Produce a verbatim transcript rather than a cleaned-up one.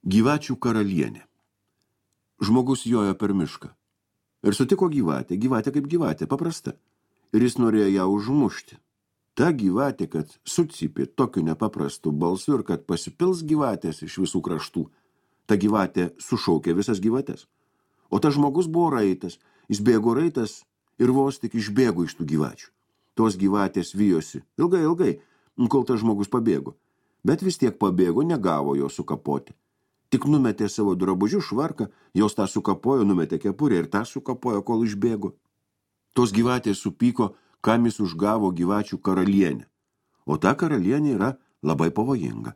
Gyvačių karalienė. Žmogus jojo per mišką. Ir sutiko gyvatę, gyvatė kaip gyvatė, paprasta. Ir jis norėjo ją užmušti. Ta gyvatė, kad sucypė tokiu nepaprastu balsu ir kad pasipils gyvatės iš visų kraštų. Ta gyvatė sušaukė visas gyvatės. O tas žmogus buvo raitas. Jis bėgo raitas ir vos tik išbėgo iš tų gyvačių. Tos gyvatės vijosi ilgai, ilgai, kol tas žmogus pabėgo. Bet vis tiek pabėgo, negavo jo sukapoti. Tik numetė savo drabužių švarką, jos tą sukapojo, numetė kepurę ir tą sukapojo, kol išbėgo. Tos gyvatės supyko, kam jis užgavo gyvačių karalienę. O ta karalienė yra labai pavojinga.